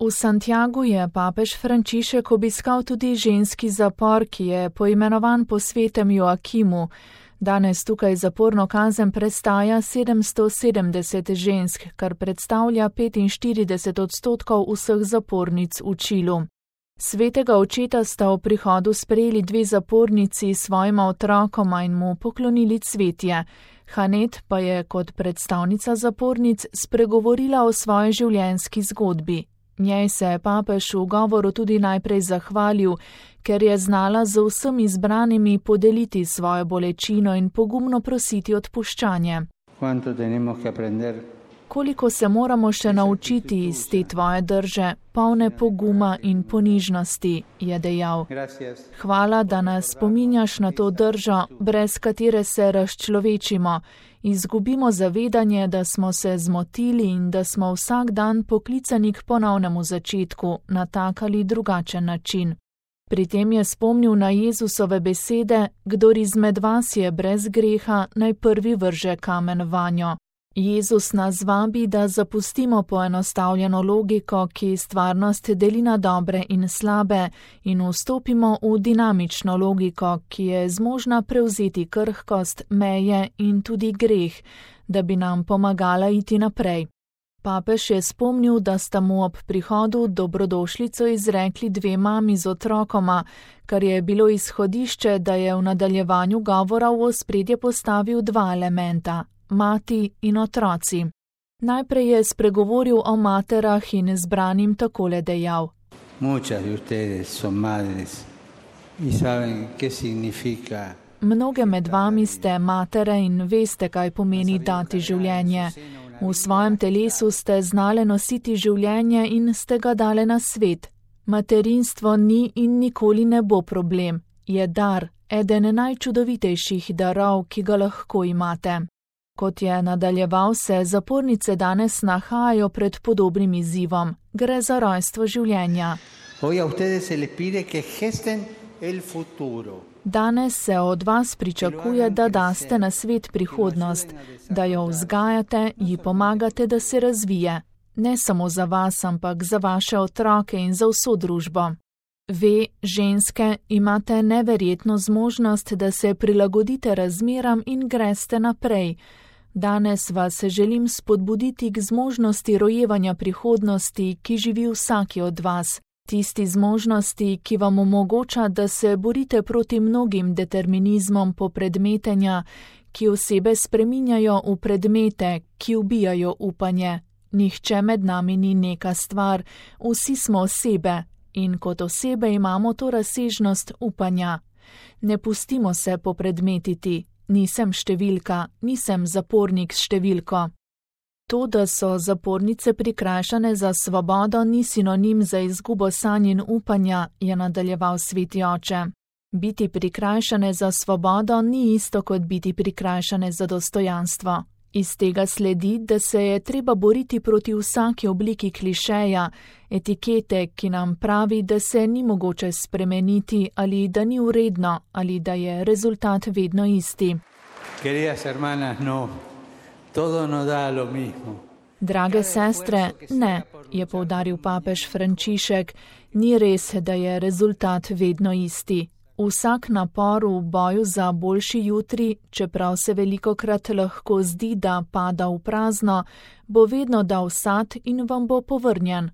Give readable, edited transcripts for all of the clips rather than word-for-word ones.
V Santiagu je papež Frančišek obiskal tudi ženski zapor, ki je poimenovan po svetem Joakimu. Danes tukaj zaporno kazen prestaja 770 žensk, kar predstavlja 45% vseh zapornic v Čilu. Svetega očeta sta v prihodu sprejeli 2 zapornici s svojima otrokoma in mu poklonili cvetje. Hanet pa je kot predstavnica zapornic spregovorila o svoji življenjski zgodbi. Njej se je papež v govoru tudi najprej zahvalil, ker je znala z vsemi izbranimi podeliti svojo bolečino in pogumno prositi odpuščanje. Koliko se moramo še naučiti iz te tvoje drže, polne poguma in ponižnosti, je dejal. Hvala, da nas spominjaš na to držo, brez katere se razčlovečimo, izgubimo zavedanje, da smo se zmotili in da smo vsak dan poklicani k ponovnemu začetku na tak ali drugačen način. Pri tem je spomnil na Jezusove besede, kdor izmed vas je brez greha, naj prvi vrže kamen vanjo. Jezus nas vabi, da zapustimo poenostavljeno logiko, ki stvarnost deli na dobre in slabe, in vstopimo v dinamično logiko, ki je zmožna prevzeti krhkost, meje in tudi greh, da bi nam pomagala iti naprej. Papež je spomnil, da sta mu ob prihodu dobrodošlico izrekli 2 mami z otrokoma, kar je bilo izhodišče, da je v nadaljevanju govora v ospredje postavil 2 elementa. Mati in otroci. Najprej je spregovoril o materah in zbranim takole dejal. Mnoge med vami ste matere in veste, kaj pomeni dati življenje. V svojem telesu ste znale nositi življenje in ste ga dale na svet. Materinstvo ni in nikoli ne bo problem. Je dar, eden najčudovitejših darov, ki ga lahko imate. Kot je nadaljeval, se zapornice danes nahajajo pred podobnim izzivom. Gre za rojstvo življenja. Danes se od vas pričakuje, da daste na svet prihodnost, da jo vzgajate, ji pomagate, da se razvije. Ne samo za vas, ampak za vaše otroke in za vso družbo. Ve, ženske, imate neverjetno zmožnost, da se prilagodite razmeram in greste naprej. Danes vas želim spodbuditi k zmožnosti rojevanja prihodnosti, ki živi vsaki od vas. Tisti zmožnosti, ki vam omogoča, da se borite proti mnogim determinizmom popredmetenja, ki osebe spreminjajo v predmete, ki ubijajo upanje. Nihče med nami ni neka stvar, vsi smo osebe in kot osebe imamo to razsežnost upanja. Ne pustimo se popredmetiti. Nisem številka, nisem zapornik s številko. To, da so zapornice prikrajšane za svobodo, ni sinonim za izgubo sanj in upanja, je nadaljeval sveti oče. Biti prikrajšane za svobodo ni isto kot biti prikrajšane za dostojanstvo. Iz tega sledi, da se je treba boriti proti vsaki obliki klišeja, etikete, ki nam pravi, da se ni mogoče spremeniti ali da ni uredno ali da je rezultat vedno isti. Drage sestre, ne, je poudaril papež Frančišek, ni res, da je rezultat vedno isti. Vsak napor v boju za boljši jutri, čeprav se velikokrat lahko zdi, da pada v prazno, bo vedno dal sad in vam bo povrnjen.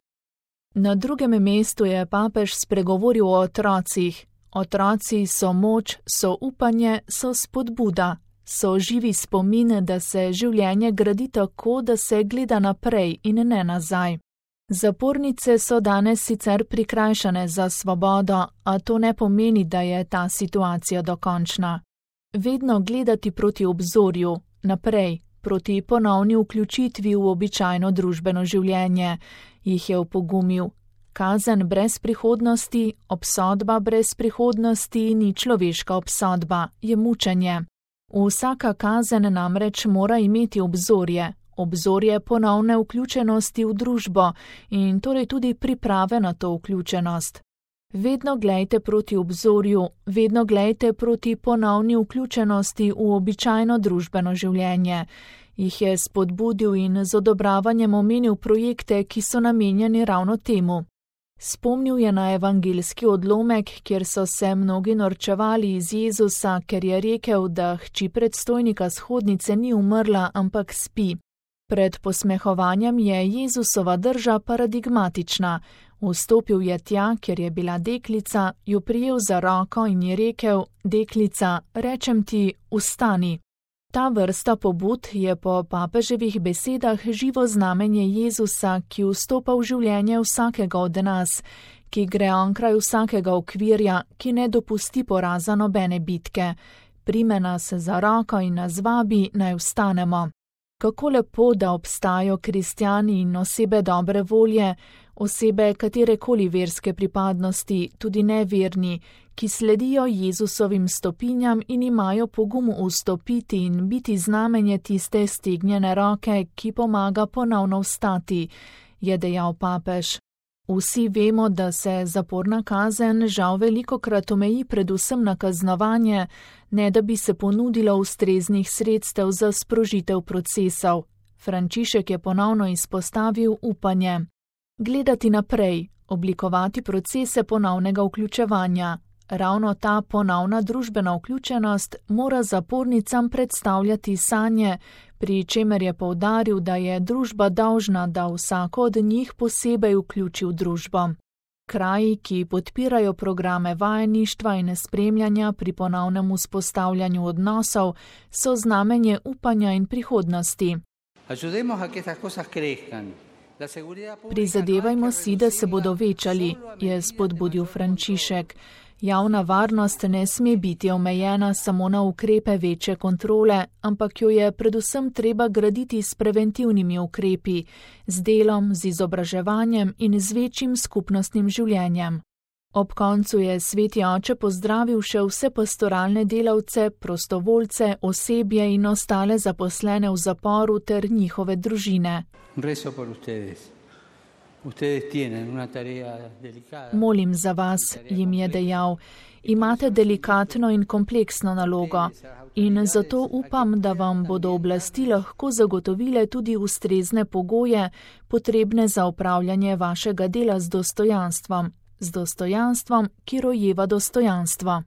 Na drugem mestu je papež spregovoril o otrocih. Otroci so moč, so upanje, so spodbuda, so živi spomin, da se življenje gradi tako, da se gleda naprej in ne nazaj. Zapornice so danes sicer prikrajšane za svobodo, a to ne pomeni, da je ta situacija dokončna. Vedno gledati proti obzorju, naprej, proti ponovni vključitvi v običajno družbeno življenje, jih je opogumil. Kazen brez prihodnosti, obsodba brez prihodnosti ni človeška obsodba, je mučenje. Vsaka kazen namreč mora imeti obzorje. Obzorje ponovne vključenosti v družbo in torej tudi priprave na to vključenost. Vedno glejte proti obzorju, vedno glejte proti ponovni vključenosti v običajno družbeno življenje. Jih je spodbudil in z odobravanjem omenil projekte, ki so namenjeni ravno temu. Spomnil je na evangeljski odlomek, kjer so se mnogi norčevali iz Jezusa, ker je rekel, da hči predstojnika shodnice ni umrla, ampak spi. Pred posmehovanjem je Jezusova drža paradigmatična. Vstopil je tja, kjer je bila deklica, jo prijel za roko in ji rekel: deklica, rečem ti, vstani. Ta vrsta pobud je po papeževih besedah živo znamenje Jezusa, ki vstopa v življenje vsakega od nas, ki gre onkraj vsakega okvirja, ki ne dopusti poraza nobene bitke. Prime nas za roko in nas vabi, naj vstanemo. Kako lepo, da obstajajo kristjani in osebe dobre volje, osebe katerekoli verske pripadnosti, tudi neverni, ki sledijo Jezusovim stopinjam in imajo pogum vstopiti in biti znamenje tiste stegnjene roke, ki pomaga ponovno vstati, je dejal papež. Vsi vemo, da se zaporna kazen žal velikokrat omeji predvsem na kaznovanje, ne da bi se ponudilo ustreznih sredstev za sprožitev procesov. Frančišek je ponovno izpostavil upanje. Gledati naprej, oblikovati procese ponovnega vključevanja. Ravno ta ponovna družbena vključenost mora zapornicam predstavljati sanje, pri čemer je poudaril, da je družba dolžna, da vsako od njih posebej vključi v družbo. Kraji, ki podpirajo programe vajeništva in spremljanja pri ponovnem vzpostavljanju odnosov, so znamenje upanja in prihodnosti. Prizadevajmo si, da se bodo večali, je spodbudil Frančišek. Javna varnost ne sme biti omejena samo na ukrepe večje kontrole, ampak jo je predvsem treba graditi s preventivnimi ukrepi, z delom, z izobraževanjem in z večjim skupnostnim življenjem. Ob koncu je sveti oče pozdravil še vse pastoralne delavce, prostovoljce, osebje in ostale zaposlene v zaporu ter njihove družine. Molim za vas, jim je dejal, imate delikatno in kompleksno nalogo in zato upam, da vam bodo oblasti lahko zagotovile tudi ustrezne pogoje, potrebne za opravljanje vašega dela z dostojanstvom, ki rojeva dostojanstvo.